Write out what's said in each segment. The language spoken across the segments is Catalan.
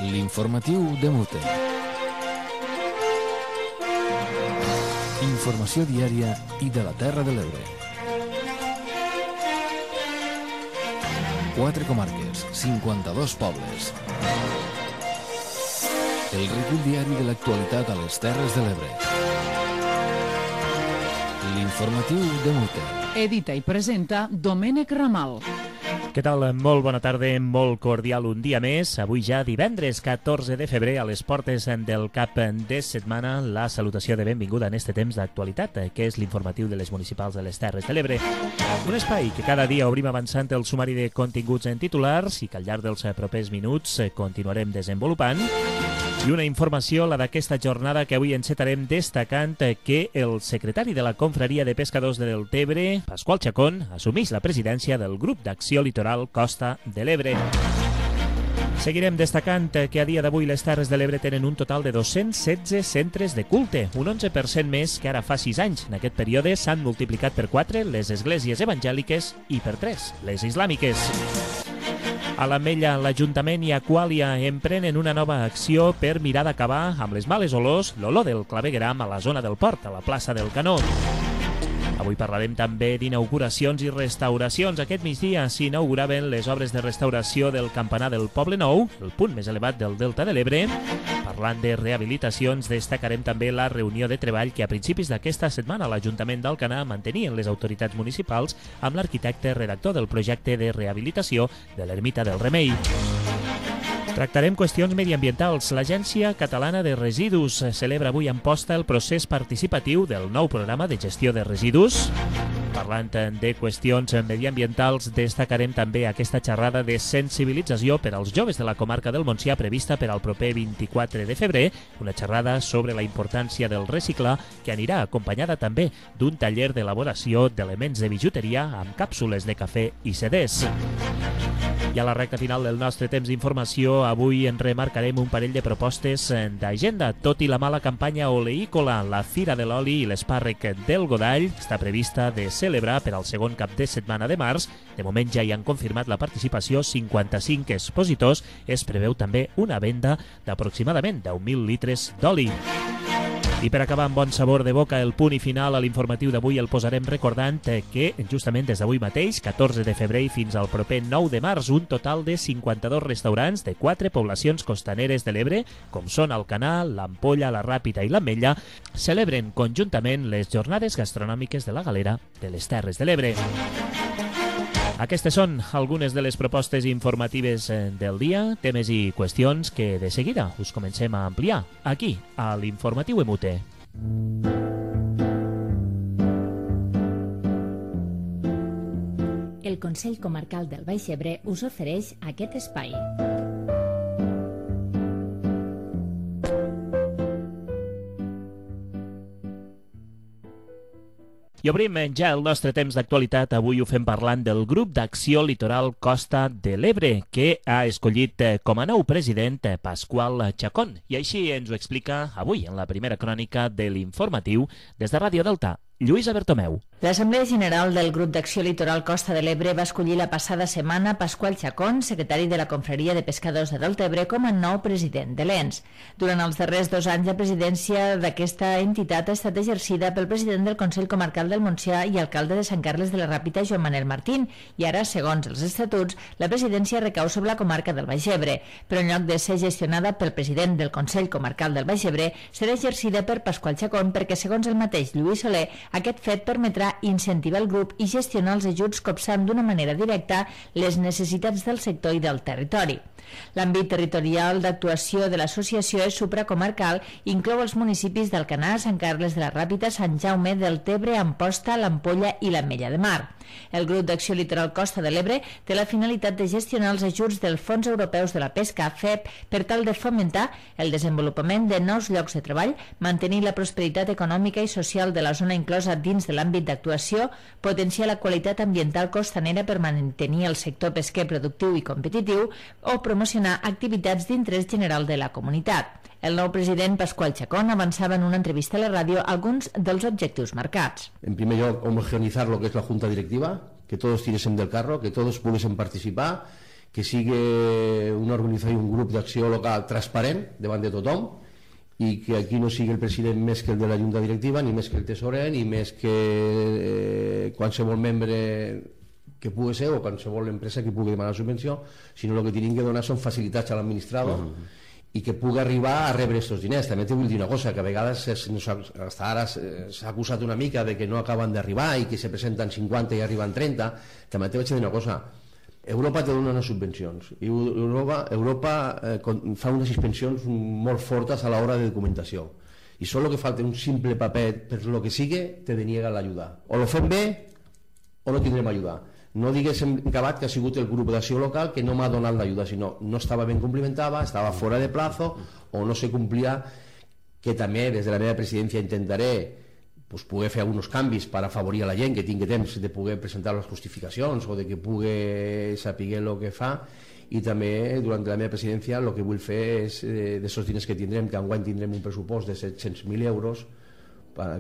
L'informatiu de Mute. Informació diària i de la Terra de l'Ebre. 4 comarques, 52 pobles. El recull diari de l'actualitat a les Terres de l'Ebre. L'informatiu de Mute. Edita i presenta Domènec Ramal. Què tal? Molt bona tarda, molt cordial un dia més. Avui ja divendres 14 de febrer, a les portes del cap de setmana, la salutació de benvinguda en este temps d'actualitat, que és l'informatiu de les municipals de les Terres de l'Ebre. Un espai que cada dia obrim avançant el sumari de continguts en titulars i que al llarg dels propers minuts continuarem desenvolupant. I una informació, la d'aquesta jornada, que avui encetarem destacant que el secretari de la Confraria de Pescadors de Deltebre, Pasqual Chacón, assumeix la presidència del grup d'acció litoral Costa de l'Ebre. Seguirem destacant que a dia d'avui les Terres de l'Ebre tenen un total de 216 centres de culte, un 11% més que ara fa 6 anys. En aquest període s'han multiplicat per 4 les esglésies evangèliques i per 3 les islàmiques. A l'Ametlla, l'Ajuntament i Aquàlia emprenen una nova acció per mirar d'acabar amb les males olors, l'olor del clavegueram a la zona del port, a la plaça del Canó. Avui parlarem també d'inauguracions i restauracions. Aquest migdia s'inauguraven les obres de restauració del campanar del Poble Nou, el punt més elevat del Delta de l'Ebre. Parlant de rehabilitacions, destacarem també la reunió de treball que a principis d'aquesta setmana l'Ajuntament d'Alcanar mantenien les autoritats municipals amb l'arquitecte redactor del projecte de rehabilitació de l'Ermita del Remei. Tractarem qüestions mediambientals. L'Agència Catalana de Residus celebra avui a Amposta el procés participatiu del nou programa de gestió de residus. Parlant de qüestions mediambientals, destacarem també aquesta xerrada de sensibilització per als joves de la comarca del Montsià prevista per al proper 24 de febrer, una xerrada sobre la importància del reciclar que anirà acompanyada també d'un taller d'elaboració d'elements de bijuteria amb càpsules de cafè i CDs. I a la recta final del nostre temps d'informació, avui en remarcarem un parell de propostes d'agenda. Tot i la mala campanya oleícola, la Fira de l'Oli i l'Espàrrec del Godall està prevista de celebrar per al segon cap de setmana de març. De moment ja hi han confirmat la participació 55 expositors. Es preveu també una venda d'aproximadament 10.000 litres d'oli. I per acabar amb bon sabor de boca, el punt i final a l'informatiu d'avui el posarem recordant que justament des d'avui mateix, 14 de febrer i fins al proper 9 de març, un total de 52 restaurants de 4 poblacions costaneres de l'Ebre, com són Alcanar, l'Ampolla, la Ràpita i l'Ametlla, celebren conjuntament les jornades gastronòmiques de la Galera de les Terres de l'Ebre. Aquestes són algunes de les propostes informatives del dia, temes i qüestions que de seguida us comencem a ampliar aquí, a l'Informatiu Emute. El Consell Comarcal del Baix Ebre us ofereix aquest espai. I obrim ja el nostre temps d'actualitat. Avui ho fem parlant del grup d'acció litoral Costa de l'Ebre, que ha escollit com a nou president Pasqual Chacón. I així ens ho explica avui en la primera crònica de l'informatiu des de Ràdio Delta, Lluïsa Bertomeu. L'Assemblea General del Grup d'Acció Litoral Costa de l'Ebre va escollir la passada setmana Pasqual Chacón, secretari de la Confraria de Pescadors de Deltebre, com a nou president de l'ENS. Durant els darrers 2 anys, la presidència d'aquesta entitat ha estat exercida pel president del Consell Comarcal del Montsià i alcalde de Sant Carles de la Ràpita, Joan Manel Martín, i ara, segons els estatuts, la presidència recau sobre la comarca del Baix Ebre, però en lloc de ser gestionada pel president del Consell Comarcal del Baix Ebre, serà exercida per Pasqual Chacón perquè, segons el mateix Lluís Soler, aquest fet permetrà incentivar el grup i gestionar els ajuts copsant d'una manera directa les necessitats del sector i del territori. L'àmbit territorial d'actuació de l'associació és supracomarcal i inclou els municipis d'Alcanar, Sant Carles de la Ràpita, Sant Jaume, Deltebre, Amposta, l'Ampolla i l'Ametlla de Mar. El grup d'acció litoral Costa de l'Ebre té la finalitat de gestionar els ajuts dels Fons Europeus de la Pesca, FEP, per tal de fomentar el desenvolupament de nous llocs de treball, mantenir la prosperitat econòmica i social de la zona inclosa dins de l'àmbit d'actuació, potenciar la qualitat ambiental costanera per mantenir el sector pesquer productiu i competitiu o promocionar activitats d'interès general de la comunitat. El nou president Pasqual Chacón avançava en una entrevista a la ràdio alguns dels objectius marcats. En primer lloc, homogeneizar lo que es la Junta Directiva, que todos tiresen del carro, que todos pudiesen participar, que sigui una organització, un grup d'acció local transparent davant de tothom, i que aquí no sigui el president més que el de la junta directiva, ni més que el tesorer, ni més que qualsevol membre que pugui ser, o qualsevol empresa que pugui demanar subvenció, sinó el que tenim que donar són facilitats a l'administrador i que pugui arribar a rebre aquests diners. També te vull dir una cosa, que a vegades fins ara s'ha acusat una mica de que no acaben d'arribar i que se presenten 50 i arriben 30. També te vaig dir una cosa, Europa te dona unes subvencions i Europa fa unes suspensions molt fortes a l'hora de documentació, i solo que falta un simple paper per lo que sigui te deniega l'ajuda. O lo fem bé o no tindrem ajuda. No digués en acabat que ha sigut el grup d'acció local que no m'ha donat l'ajuda, sinó no estava ben complementada, estava fora de plazo o no se complia, que també des de la meva presidència intentaré poder fer alguns canvis per afavorir a la gent que tingui temps de poder presentar les justificacions o de que pugui saber el que fa. I també durant la meva presidència el que vull fer és d'aquests diners que tindrem, que enguany tindrem un pressupost de 700.000 euros,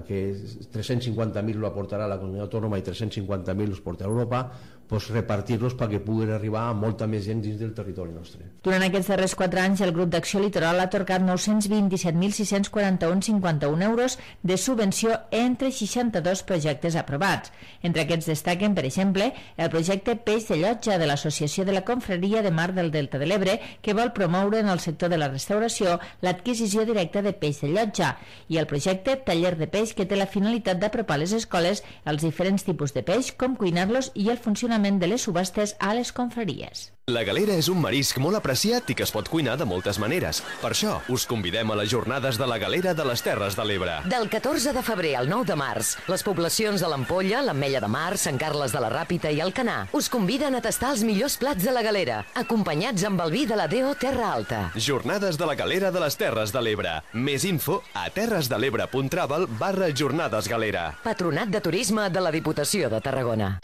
que 350.000 lo aportarà la comunitat autònoma i 350.000 los portarà a Europa, repartir-los perquè puguin arribar a molta més gent dins del territori nostre. Durant aquests darrers 4 anys, el grup d'Acció Litoral ha atorgat 927.641,51 euros de subvenció entre 62 projectes aprovats. Entre aquests destaquen, per exemple, el projecte Peix de Llotja de l'Associació de la Confraria de Mar del Delta de l'Ebre, que vol promoure en el sector de la restauració l'adquisició directa de peix de llotja, i el projecte Taller de Peix, que té la finalitat d'apropar a les escoles els diferents tipus de peix, com cuinar-los i el funcionament de les subhastes a les confraries. La galera és un marisc molt apreciat i que es pot cuinar de moltes maneres. Per això, us convidem a les jornades de la galera de les Terres de l'Ebre. Del 14 de febrer al 9 de març, les poblacions de l'Ampolla, l'Ametlla de Mar, Sant Carles de la Ràpita i Alcanar us conviden a tastar els millors plats de la galera, acompanyats amb el vi de la DO Terra Alta. Jornades de la galera de les Terres de l'Ebre. Més info a terresdelebre.travel/jornades-galera. Patronat de Turisme de la Diputació de Tarragona.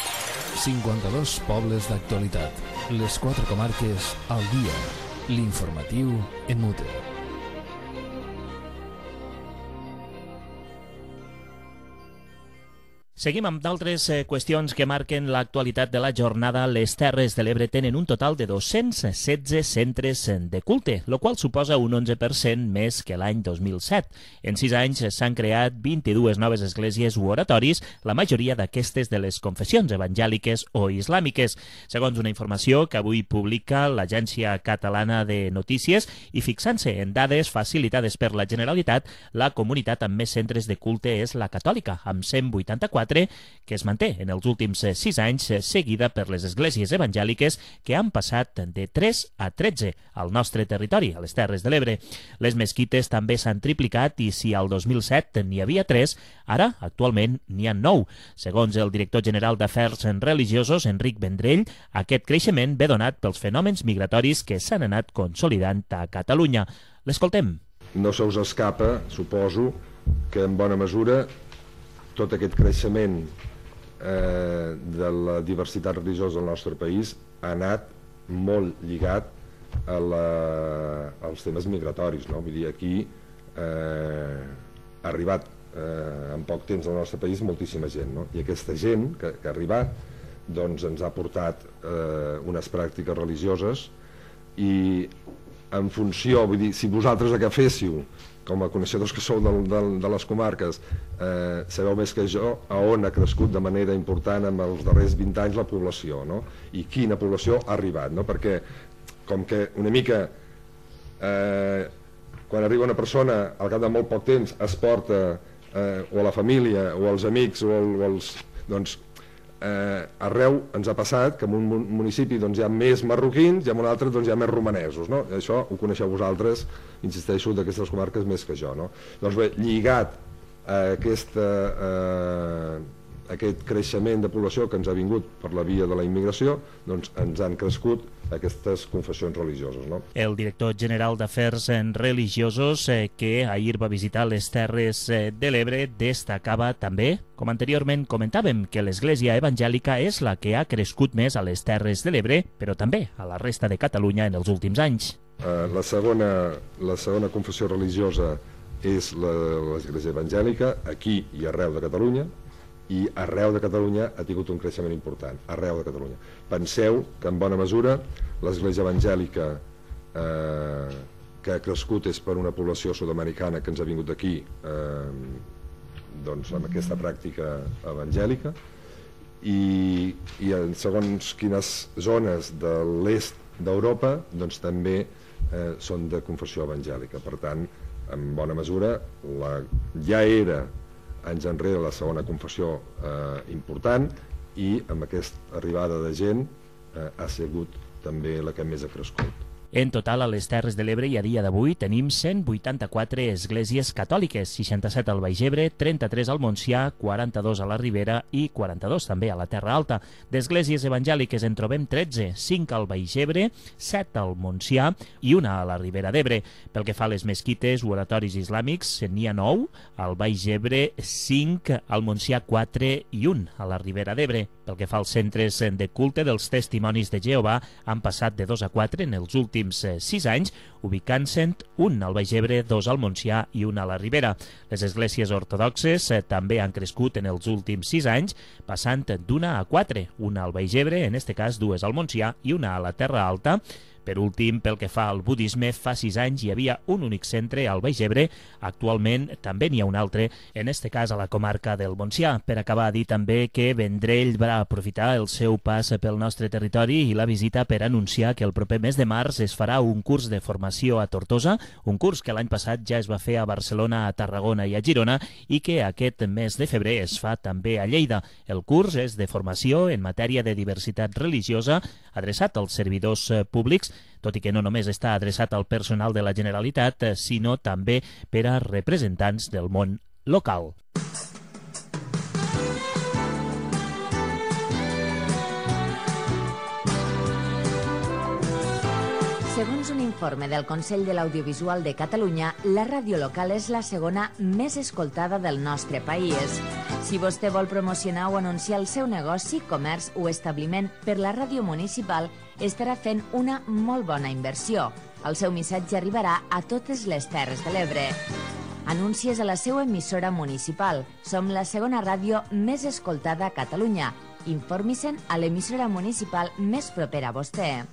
52 pobles d'actualitat. Les 4 comarques al dia. L'informatiu en Mute. Seguim amb d'altres qüestions que marquen l'actualitat de la jornada. Les Terres de l'Ebre tenen un total de 216 centres de culte, el qual suposa un 11% més que l'any 2007. En 6 anys s'han creat 22 noves esglésies u oratoris, la majoria d'aquestes de les confessions evangèliques o islàmiques, segons una informació que avui publica l'Agència Catalana de Notícies, i fixant-se en dades facilitades per la Generalitat, la comunitat amb més centres de culte és la catòlica, amb 184, que es manté en els últims 6 anys, seguida per les esglésies evangèliques, que han passat de 3 a 13 al nostre territori, a les Terres de l'Ebre. Les mesquites també s'han triplicat i si al 2007 n'hi havia 3, ara actualment n'hi ha 9. Segons el director general d'Afers Religiosos, Enric Vendrell, aquest creixement ve donat pels fenòmens migratoris que s'han anat consolidant a Catalunya. L'escoltem. No se us escapa, suposo, que en bona mesura tot aquest creixement de la diversitat religiosa del nostre país ha anat molt lligat als temes migratoris, no? Vull dir, aquí ha arribat en poc temps al nostre país moltíssima gent, no? I aquesta gent que ha arribat doncs ens ha portat unes pràctiques religioses, i en funció, vull dir, si vosaltres agaféssiu com a coneixedors que sou de les comarques, sabeu més que jo a on ha crescut de manera important en els darrers 20 anys la població, no? I quina població ha arribat, no? Perquè com que una mica quan arriba una persona al cap de molt poc temps es porta o a la família o als amics o als... doncs arreu ens ha passat que en un municipi doncs, hi ha més marroquins i en un altre doncs, hi ha més romanesos, no? Això ho coneixeu vosaltres, insisteixo, d'aquestes comarques més que jo, no? Doncs bé, lligat a aquest creixement de població que ens ha vingut per la via de la immigració, doncs ens han crescut aquestes confessions religioses, no? El director general d'Afers Religiosos, que ahir va visitar les Terres de l'Ebre, destacava també, com anteriorment comentàvem, que l'Església Evangèlica és la que ha crescut més a les Terres de l'Ebre, però també a la resta de Catalunya en els últims anys. La segona confessió religiosa és l'Església Evangèlica, aquí i arreu de Catalunya, i arreu de Catalunya ha tingut un creixement important, arreu de Catalunya. Penseu que en bona mesura l'església evangèlica que ha crescut és per una població sud-americana que ens ha vingut d'aquí doncs amb aquesta pràctica evangèlica, i en segons quines zones de l'est d'Europa doncs també són de confessió evangèlica. Per tant, en bona mesura ja era anys enrere la segona confessió important, i amb aquesta arribada de gent ha sigut també la que més ha crescut. En total, a les Terres de l'Ebre i a dia d'avui tenim 184 esglésies catòliques, 67 al Baix Ebre, 33 al Montsià, 42 a la Ribera i 42 també a la Terra Alta. D'esglésies evangèliques en trobem 13, 5 al Baix Ebre, 7 al Montsià i una a la Ribera d'Ebre. Pel que fa a les mesquites o oratoris islàmics, n'hi ha 9, al Baix Ebre 5, al Montsià 4 i 1 a la Ribera d'Ebre. Pel que fa als centres de culte dels Testimonis de Jehovà, han passat de 2 a 4 en els últims 6 anys, ubicant-se'n un al Baix Ebre, 2 al Montsià i un a la Ribera. Les esglésies ortodoxes també han crescut en els últims 6 anys, passant d'una a 4, una al Baix Ebre, en este cas 2 al Montsià i una a la Terra Alta. Per últim, pel que fa al budisme, fa 6 anys hi havia un únic centre al Baix Ebre, actualment també n'hi ha un altre, en este cas a la comarca del Montsià. Per acabar, dir també que Vendrell va aprofitar el seu pas pel nostre territori i la visita per anunciar que el proper mes de març es farà un curs de formació a Tortosa, un curs que l'any passat ja es va fer a Barcelona, a Tarragona i a Girona, i que aquest mes de febrer es fa també a Lleida. El curs és de formació en matèria de diversitat religiosa, adreçat als servidors públics, tot i que no només està adreçat al personal de la Generalitat, sinó també per a representants del món local. Segons un informe del Consell de l'Audiovisual de Catalunya, la ràdio local és la segona més escoltada del nostre país. Si vostè vol promocionar o anunciar el seu negoci, comerç o establiment per la ràdio municipal, estarà fent una molt bona inversió. El seu missatge arribarà a totes les Terres de l'Ebre. Anuncies a la seva emissora municipal. Som la segona ràdio més escoltada a Catalunya. Informi-se'n a l'emissora municipal més propera a vostè.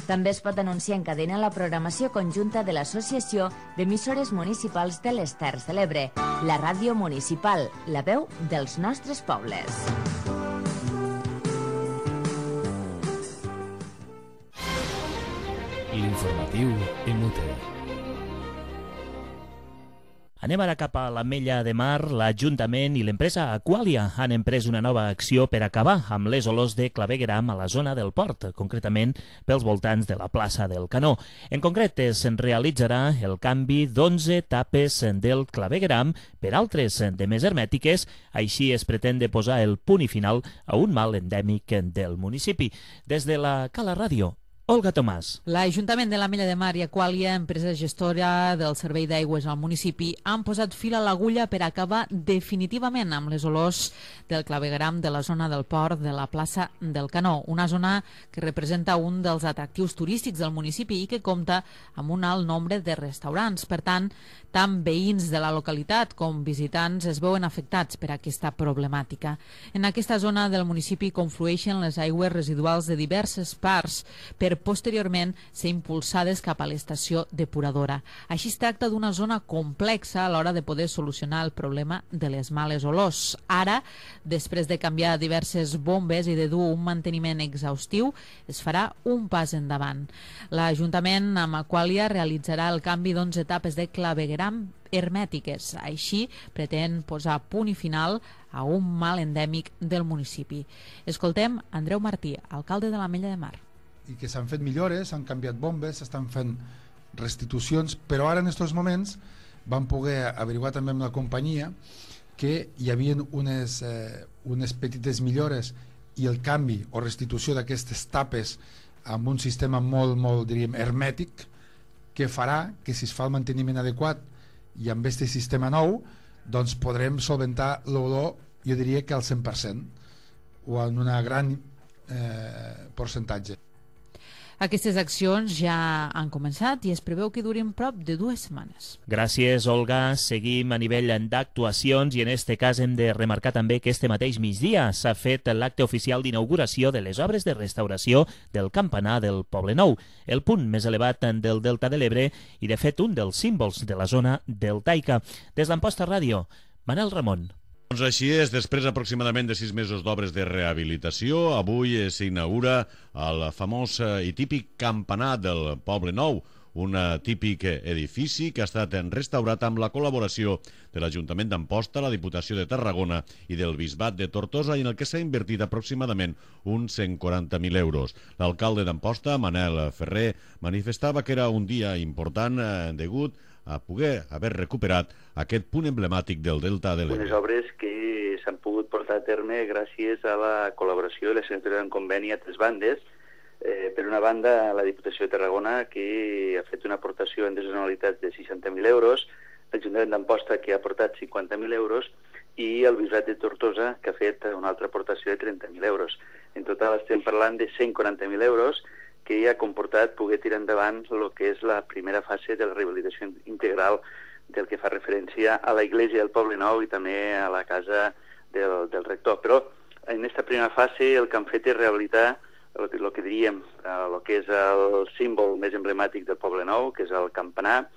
També es pot anunciar en cadena la programació conjunta de l'Associació d'Emissores Municipals de les Terres de l'Ebre, la ràdio municipal, la veu dels nostres pobles. L'informatiu en Mute. Anem ara cap a l'Ametlla de Mar. L'Ajuntament i l'empresa Aqualia han emprès una nova acció per acabar amb les olors de clavegueram a la zona del port, concretament pels voltants de la plaça del Canó. En concret, es realitzarà el canvi d'11 tapes del clavegueram per altres de més hermètiques. Així es pretén de posar el punt i final a un mal endèmic del municipi. Des de la Cala Ràdio, Olga Tomàs. L'Ajuntament de l'Ametlla de Mar i Aqualia, empresa gestora del servei d'aigües al municipi, han posat fil a l'agulla per acabar definitivament amb les olors del clavegueram de la zona del port de la plaça del Canó, una zona que representa un dels atractius turístics del municipi i que compta amb un alt nombre de restaurants. Per tant veïns de la localitat com visitants es veuen afectats per aquesta problemàtica. En aquesta zona del municipi conflueixen les aigües residuals de diverses parts per posteriorment ser impulsades cap a l'estació depuradora. Així es tracta d'una zona complexa a l'hora de poder solucionar el problema de les males olors. Ara, després de canviar diverses bombes i de dur un manteniment exhaustiu, es farà un pas endavant. L'Ajuntament amb Aqualia realitzarà el canvi d'11 etapes de clavegueram hermètiques. Així pretén posar punt i final a un mal endèmic del municipi. Escoltem Andreu Martí, alcalde de l'Ametlla de Mar. I que s'han fet millores, s'han canviat bombes, s'estan fent restitucions, però ara en aquests moments vam poder averiguar també amb la companyia que hi havia unes petites millores i el canvi o restitució d'aquestes tapes amb un sistema molt diríem, hermètic, que farà que si es fa el manteniment adequat i amb aquest sistema nou, doncs podrem solventar l'olor, jo diria que al 100% o en un gran percentatge. Aquestes accions ja han començat i es preveu que durin prop de 2 setmanes. Gràcies, Olga. Seguim a nivell d'actuacions i en este cas hem de remarcar també que este mateix migdia s'ha fet l'acte oficial d'inauguració de les obres de restauració del campanar del Poble Nou, el punt més elevat del Delta de l'Ebre i, de fet, un dels símbols de la zona deltaica. Des d'Amposta Ràdio, Manel Ramon. Doncs així és, després aproximadament de 6 mesos d'obres de rehabilitació, avui s'inaugura el famós i típic campanar del Poble Nou, un típic edifici que ha estat restaurat amb la col·laboració de l'Ajuntament d'Amposta, la Diputació de Tarragona i del Bisbat de Tortosa, i en el que s'ha invertit aproximadament uns 140.000 euros. L'alcalde d'Amposta, Manel Ferrer, manifestava que era un dia important degut a poder haver recuperat aquest punt emblemàtic del Delta de l'Ebre. Unes obres que s'han pogut portar a terme gràcies a la col·laboració i la signatura d'un conveni a 3 bandes. Per una banda, la Diputació de Tarragona, que ha fet una aportació en desonalitats de 60.000 euros, l'Ajuntament d'Amposta, que ha aportat 50.000 euros, i el Bisbat de Tortosa, que ha fet una altra aportació de 30.000 euros. En total estem parlant de 140.000 euros, que ha comportat poder tirar endavant el que és la primera fase de la rehabilitació integral del que fa referència a la Iglesia del Poble Nou i també a la casa del rector. Però en aquesta primera fase el que han fet és rehabilitar el que diríem, el que és el símbol més emblemàtic del Poble Nou, que és el campanar,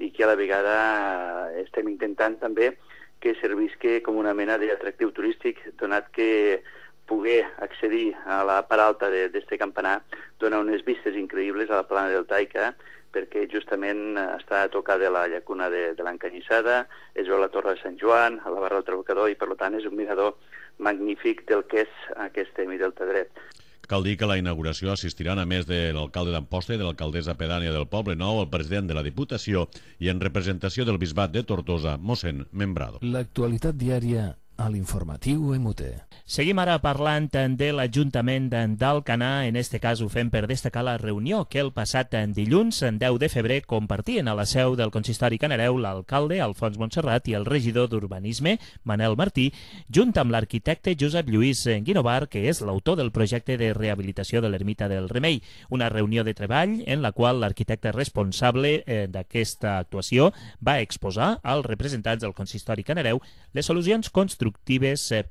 i que a la vegada estem intentant també que servisca com una mena d'atractiu turístic, donat que poder accedir a la part alta d'aquest campanar dona unes vistes increïbles a la plana deltaica, perquè justament està a tocar de la llacuna de l'Encanyissada, es veu la Torre de Sant Joan, a la Barra del Trabocador, i per tant és un mirador magnífic del que és aquest Delta dret. Cal dir que a la inauguració assistiran, a més de l'alcalde d'Amposta i de l'alcaldessa pedània del Poble Nou, el president de la Diputació i, en representació del Bisbat de Tortosa, mossèn Membrado. L'actualitat diària a l'informatiu MUT. Seguim ara parlant de l'Ajuntament d'Alcanar. En este cas ho fem per destacar la reunió que el passat dilluns, 10 de febrer, compartien a la seu del Consistori Canareu l'alcalde Alfons Montserrat i el regidor d'Urbanisme, Manel Martí, junt amb l'arquitecte Josep Lluís Guinovar, que és l'autor del projecte de rehabilitació de l'Ermita del Remei. Una reunió de treball en la qual l'arquitecte responsable d'aquesta actuació va exposar als representants del Consistori Canareu les solucions constructives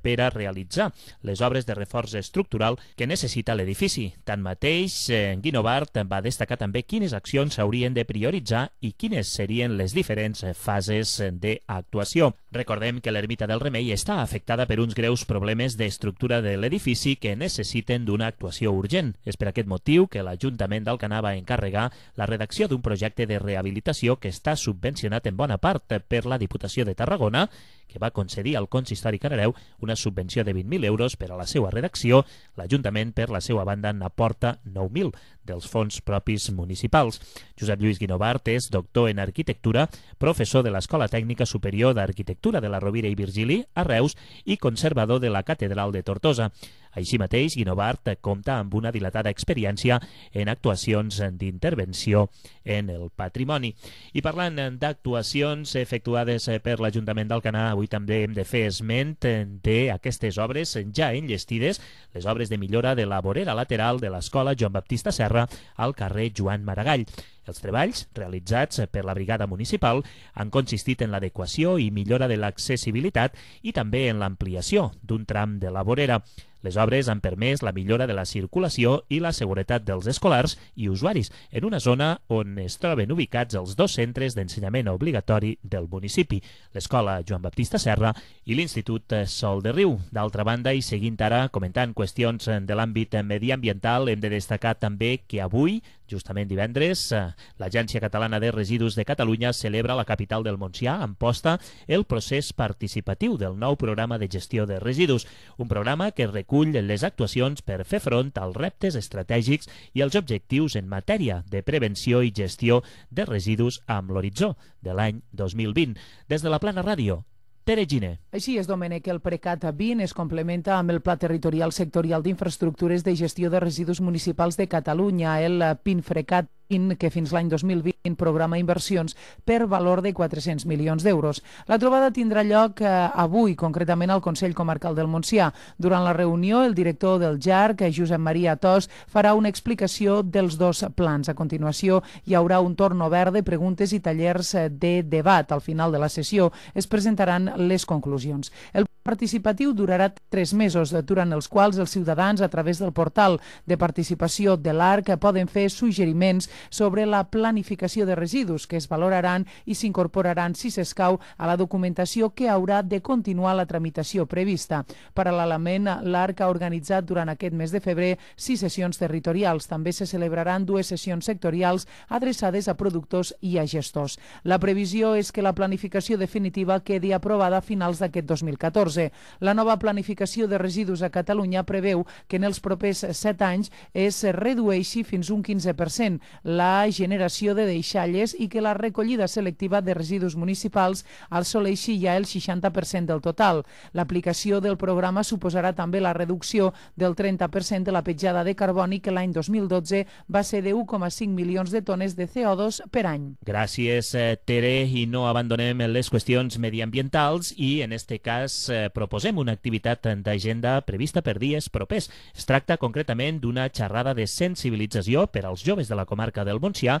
per a realitzar les obres de reforç estructural que necessita l'edifici. Tanmateix, Guinovart va destacar també quines accions s'haurien de prioritzar i quines serien les diferents fases d'actuació. Recordem que l'Ermita del Remei està afectada per uns greus problemes d'estructura de l'edifici que necessiten d'una actuació urgent. És per aquest motiu que l'Ajuntament d'Alcanar va encarregar la redacció d'un projecte de rehabilitació que està subvencionat en bona part per la Diputació de Tarragona, que va concedir al Consistori Canareu una subvenció de 20.000 euros per a la seva redacció. L'Ajuntament, per la seva banda, n'aporta 9.000 dels fons propis municipals. Josep Lluís Guinovart és doctor en arquitectura, professor de l'Escola Tècnica Superior d'Arquitectura de la Rovira i Virgili a Reus i conservador de la Catedral de Tortosa. Així mateix, Guinovart compta amb una dilatada experiència en actuacions d'intervenció en el patrimoni. I parlant d'actuacions efectuades per l'Ajuntament d'Alcanar, avui també hem de fer esment d'aquestes obres ja enllestides, les obres de millora de la vorera lateral de l'Escola Joan Baptista Serra al carrer Joan Maragall. Els treballs realitzats per la brigada municipal han consistit en l'adequació i millora de l'accessibilitat i també en l'ampliació d'un tram de la vorera. Les obres han permès la millora de la circulació i la seguretat dels escolars i usuaris en una zona on es troben ubicats els 2 centres d'ensenyament obligatori del municipi, l'Escola Joan Baptista Serra i l'Institut Sol de Riu. D'altra banda, i seguint ara comentant qüestions de l'àmbit mediambiental, hem de destacar també que avui, justament divendres, l'Agència Catalana de Residus de Catalunya celebra a la capital del Montsià, Amposta, el procés participatiu del nou programa de gestió de residus, un programa que recull les actuacions per fer front als reptes estratègics i els objectius en matèria de prevenció i gestió de residus amb l'horitzó de l'any 2020. Des de la Plana Ràdio, Tere Giner. Així és, Domènec, el PRECAT 20 es complementa amb el Pla Territorial Sectorial d'Infraestructures de Gestió de Residus Municipals de Catalunya, el PINFRECAT que fins l'any 2020 programa inversions per valor de 400 milions d'euros. La trobada tindrà lloc avui, concretament al Consell Comarcal del Montsià. Durant la reunió, el director del JARC, Josep Maria Tos, farà una explicació dels dos plans. A continuació, hi haurà un torn obert de preguntes i tallers de debat. Al final de la sessió es presentaran les conclusions. El participatiu durarà 3 mesos, durant els quals els ciutadans, a través del portal de participació de l'ARC, poden fer suggeriments sobre la planificació de residus que es valoraran i s'incorporaran, si s'escau, a la documentació que haurà de continuar la tramitació prevista. Paral·lelament, l'ARC ha organitzat durant aquest mes de febrer 6 sessions territorials. També se celebraran 2 sessions sectorials adreçades a productors i a gestors. La previsió és que la planificació definitiva quedi aprovada a finals d'aquest 2014. La nova planificació de residus a Catalunya preveu que en els propers 7 anys es redueixi fins un 15% la generació de deixalles i que la recollida selectiva de residus municipals assoleixi ja el 60% del total. L'aplicació del programa suposarà també la reducció del 30% de la petjada de carboni, que l'any 2012 va ser de 1,5 milions de tones de CO2 per any. Gràcies, Tere, i no abandonem les qüestions mediambientals i, en este cas, proposem una activitat d'agenda prevista per dies propers. Es tracta concretament d'una xerrada de sensibilització per als joves de la comarca del Montsià,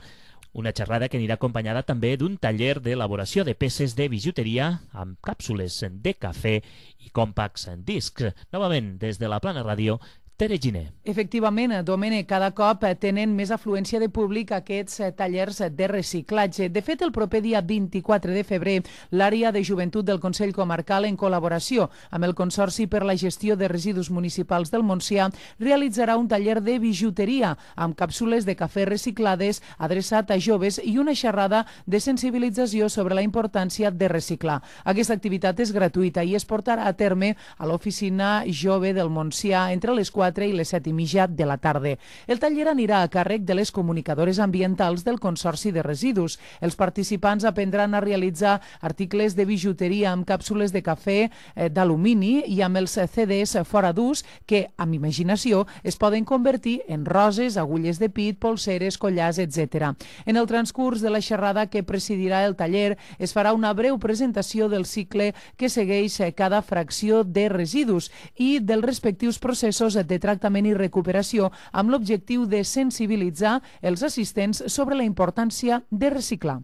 una xerrada que anirà acompanyada també d'un taller d'elaboració de peces de bijuteria amb càpsules de cafè i compacts discs. Novament, des de la Plana Ràdio, Tere Giner. Efectivament, Domènec, cada cop tenen més afluència de públic aquests tallers de reciclatge. De fet, el proper dia 24 de febrer, l'àrea de joventut del Consell Comarcal, en col·laboració amb el Consorci per la Gestió de Residus Municipals del Montsià, realitzarà un taller de bijuteria amb càpsules de cafè reciclades adreçat a joves i una xerrada de sensibilització sobre la importància de reciclar. Aquesta activitat és gratuïta i es portarà a terme a l'oficina jove del Montsià entre les 4 i les 7:30 de la tarda. El taller anirà a càrrec de les comunicadores ambientals del Consorci de Residus. Els participants aprendran a realitzar articles de bijuteria amb càpsules de cafè d'alumini i amb els CDs fora d'ús que, amb imaginació, es poden convertir en roses, agulles de pit, polseres, collars, etc. En el transcurs de la xerrada que presidirà el taller es farà una breu presentació del cicle que segueix cada fracció de residus i dels respectius processos de tractament i recuperació amb l'objectiu de sensibilitzar els assistents sobre la importància de reciclar.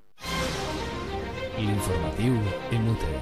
L'informatiu en UTE.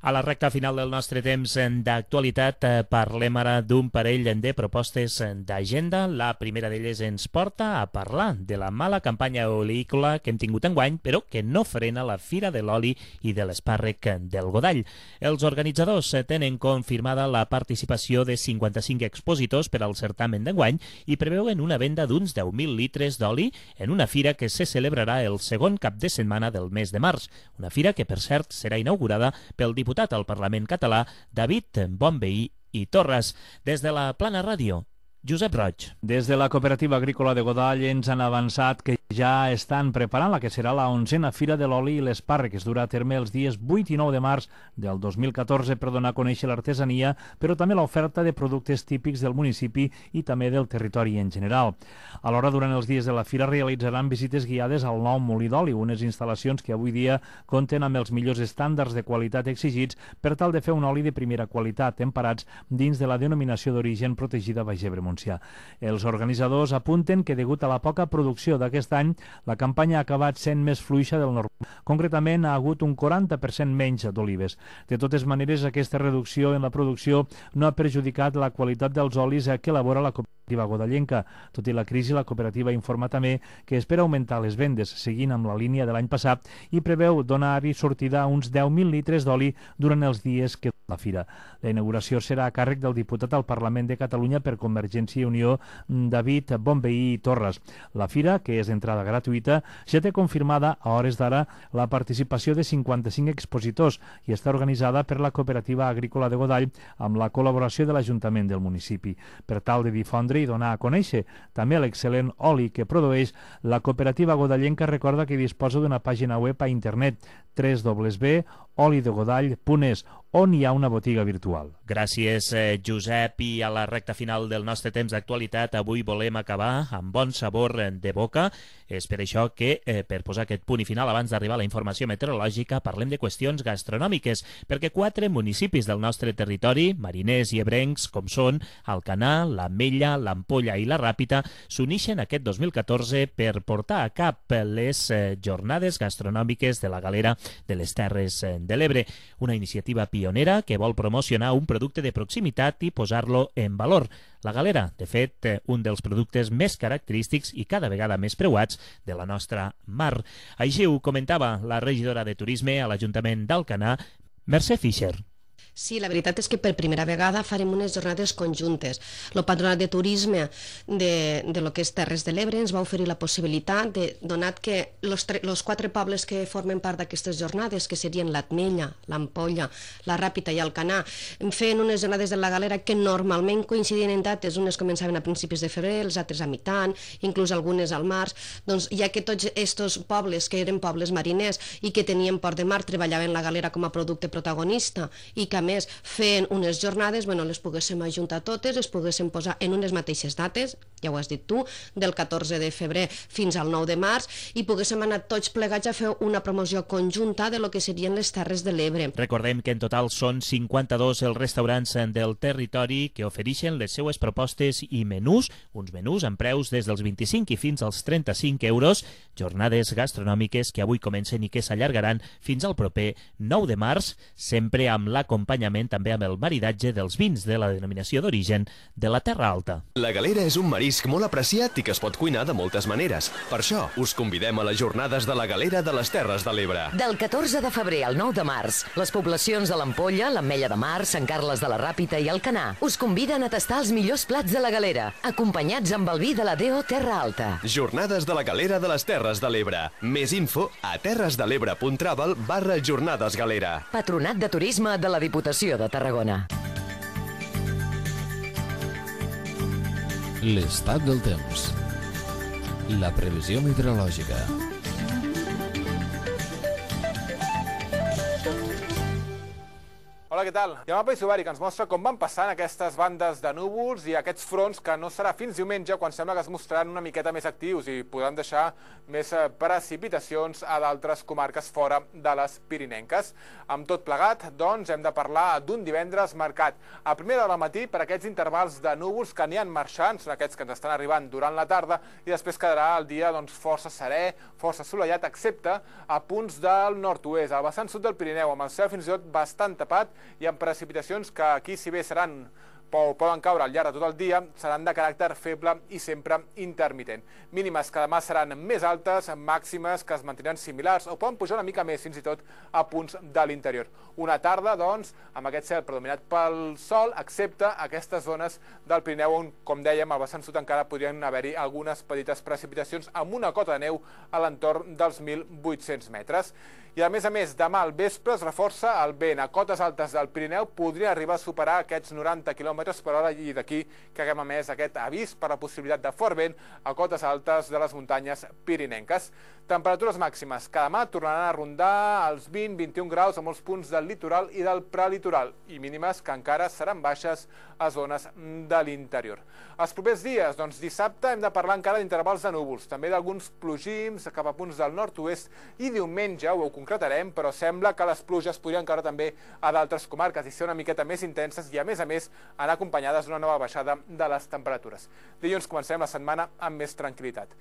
A la recta final del nostre temps d'actualitat parlem ara d'un parell de propostes d'agenda. La primera d'elles ens porta a parlar de la mala campanya oleícola que hem tingut enguany, però que no frena la Fira de l'Oli i de l'Espàrrec del Godall. Els organitzadors tenen confirmada la participació de 55 expositors per al certamen d'enguany i preveuen una venda d'uns 10.000 litres d'oli en una fira que se celebrarà el segon cap de setmana del mes de març. Una fira que, per cert, serà inaugurada pel diputat al Parlament català, David Bonvehí i Torres. Des de la Plana Ràdio, Josep Roig. Des de la Cooperativa Agrícola de Godall ens han avançat que ja estan preparant la que serà la 11a Fira de l'Oli i l'Espàrrec, que es durà a terme els dies 8 i 9 de març del 2014 per donar a conèixer l'artesania, però també l'oferta de productes típics del municipi i també del territori en general. Alhora, durant els dies de la fira realitzaran visites guiades al nou molí d'oli, unes instal·lacions que avui dia compten amb els millors estàndards de qualitat exigits per tal de fer un oli de primera qualitat, emparats dins de la denominació d'origen protegida Baix Ebre Montsià. Els organitzadors apunten que, degut a la poca producció d'aquest any, la campanya ha acabat sent més fluixa del normal. Concretament, ha hagut un 40% menys d'olives. De totes maneres, aquesta reducció en la producció no ha perjudicat la qualitat dels olis que elabora la cooperativa godallenca. Tot i la crisi, la cooperativa informa també que espera augmentar les vendes, seguint amb la línia de l'any passat, i preveu donar-hi sortida a uns 10.000 litres d'oli durant els dies que la fira. La inauguració serà a càrrec del diputat al Parlament de Catalunya per Convergència i Unió, David Bonvehí i Torres. La fira, que és d'entrada gratuïta, ja té confirmada a hores d'ara la participació de 55 expositors i està organitzada per la Cooperativa Agrícola de Godall amb la col·laboració de l'Ajuntament del municipi. Per tal de difondre i donar a conèixer. També l'excel·lent oli que produeix, la cooperativa godallenca recorda que disposa d'una pàgina web a internet www.olidegodall.es, on hi ha una botiga virtual. Gràcies, Josep. I a la recta final del nostre temps d'actualitat, avui volem acabar amb bon sabor de boca. És per això que, per posar aquest punt i final, abans d'arribar a la informació meteorològica, parlem de qüestions gastronòmiques, perquè 4 municipis del nostre territori, mariners i ebrencs, com són Alcanar, l'Ametlla, l'Ampolla i la Ràpita, s'unixen aquest 2014 per portar a cap les jornades gastronòmiques de la Galera de les Terres de l'Ebre, una iniciativa pionera que vol promocionar un producte de proximitat i posar-lo en valor. La Galera, de fet, un dels productes més característics i cada vegada més preuats de la nostra mar. Així ho comentava la regidora de Turisme a l'Ajuntament d'Alcanar, Mercè Fischer. Sí, la veritat és que per primera vegada farem unes jornades conjuntes. El Patronat de Turisme de lo que és Terres de l'Ebre ens va oferir la possibilitat de, donat que els 4 pobles que formen part d'aquestes jornades, que serien l'Ametlla, l'Ampolla, la Ràpita i Alcanar, feien unes jornades de la Galera que normalment coincidien en dates, unes començaven a principis de febrer, els altres a mitant, inclús algunes al març, doncs ja que tots aquests pobles, que eren pobles mariners i que tenien port de mar, treballaven la Galera com a producte protagonista i que a més fent unes jornades, les poguéssim ajuntar totes, les poguéssim posar en unes mateixes dates, ja ho has dit tu, del 14 de febrer fins al 9 de març, i poguéssim anar tots plegats a fer una promoció conjunta de lo que serien les Terres de l'Ebre. Recordem que en total són 52 els restaurants del territori que ofereixen les seues propostes i menús, uns menús amb preus des dels 25 i fins als 35 euros, jornades gastronòmiques que avui comencen i que s'allargaran fins al proper 9 de març, sempre amb l'acompanyament també amb el maridatge dels vins de la denominació d'origen de la Terra Alta. La galera és un marisc molt apreciat i que es pot cuinar de moltes maneres. Per això, us convidem a les jornades de la galera de les Terres de l'Ebre. Del 14 de febrer al 9 de març, les poblacions de l'Ampolla, l'Ametlla de Mar, Sant Carles de la Ràpita i Alcanar us conviden a tastar els millors plats de la galera, acompanyats amb el vi de la DO Terra Alta. Jornades de la galera de les Terres de l'Ebre. Més info a terresdelebre.travel/jornadesgalera. Patronat de Turisme de la Diputació de Tarragona. L'estat del temps. La previsió meteorològica. Hola, què tal? Hi ha un mapa isobàric que ens mostra com van passant aquestes bandes de núvols i aquests fronts que no serà fins diumenge quan sembla que es mostraran una miqueta més actius i podran deixar més precipitacions a d'altres comarques fora de les pirinenques. Amb tot plegat, doncs, hem de parlar d'un divendres marcat a primera hora del matí per aquests intervals de núvols que aniran marxant, són aquests que ens estan arribant durant la tarda, i després quedarà el dia força serè, força assolellat, excepte a punts del nord-oest, al vessant sud del Pirineu, amb el cel fins i tot bastant tapat i amb precipitacions que aquí, si bé poden caure al llarg de tot el dia, seran de caràcter feble i sempre intermitent. Mínimes que demà seran més altes, màximes que es mantindran similars o poden pujar una mica més, fins i tot a punts de l'interior. Una tarda, doncs, amb aquest cel predominat pel sol, excepte aquestes zones del Pirineu on, com dèiem, al vessant sud encara podrien haver-hi algunes petites precipitacions amb una cota de neu a l'entorn dels 1.800 metres. I a més, demà al vespre es reforça el vent. A cotes altes del Pirineu podria arribar a superar aquests 90 km per hora i d'aquí que haguem emès aquest avís per la possibilitat de fort vent a cotes altes de les muntanyes pirinenques. Temperatures màximes que demà tornaran a rondar els 20-21 graus a molts punts del litoral i del prelitoral i mínimes que encara seran baixes a zones de l'interior. Els propers dies, doncs dissabte hem de parlar encara d'intervals de núvols, també d'alguns plogims cap a punts del nord-oest i diumenge ho concretarem, però sembla que les pluges podrien caure també a d'altres comarques i ser una miqueta més intenses i a més anar acompanyades d'una nova baixada de les temperatures. Dilluns comencem la setmana amb més tranquil·litat.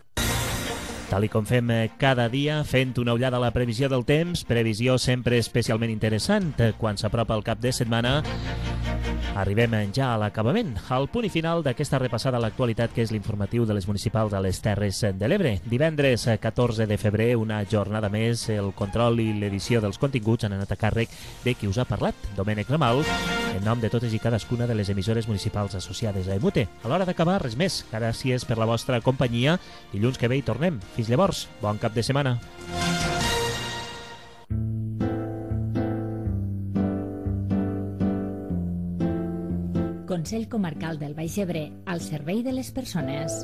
Tal com fem cada dia, fent una ullada a la previsió del temps, previsió sempre especialment interessant quan s'apropa el cap de setmana. Arribem ja a l'acabament, al punt i final d'aquesta repassada a l'actualitat que és l'informatiu de les municipals a les Terres de l'Ebre. Divendres 14 de febrer, una jornada més, el control i l'edició dels continguts han anat a càrrec de qui us ha parlat, Domènec Ramal, en nom de totes i cadascuna de les emissores municipals associades a EMUTE. A l'hora d'acabar, res més. Gràcies per la vostra companyia. Dilluns que ve hi tornem. Fins llavors, bon cap de setmana. Consell Comarcal del Baix Ebre, al servei de les persones.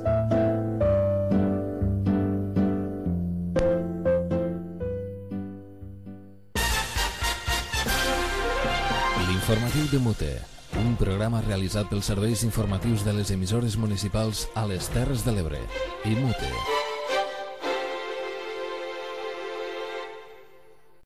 L'informatiu de Mute, un programa realitzat pels serveis informatius de les emissores municipals a les Terres de l'Ebre i Mute.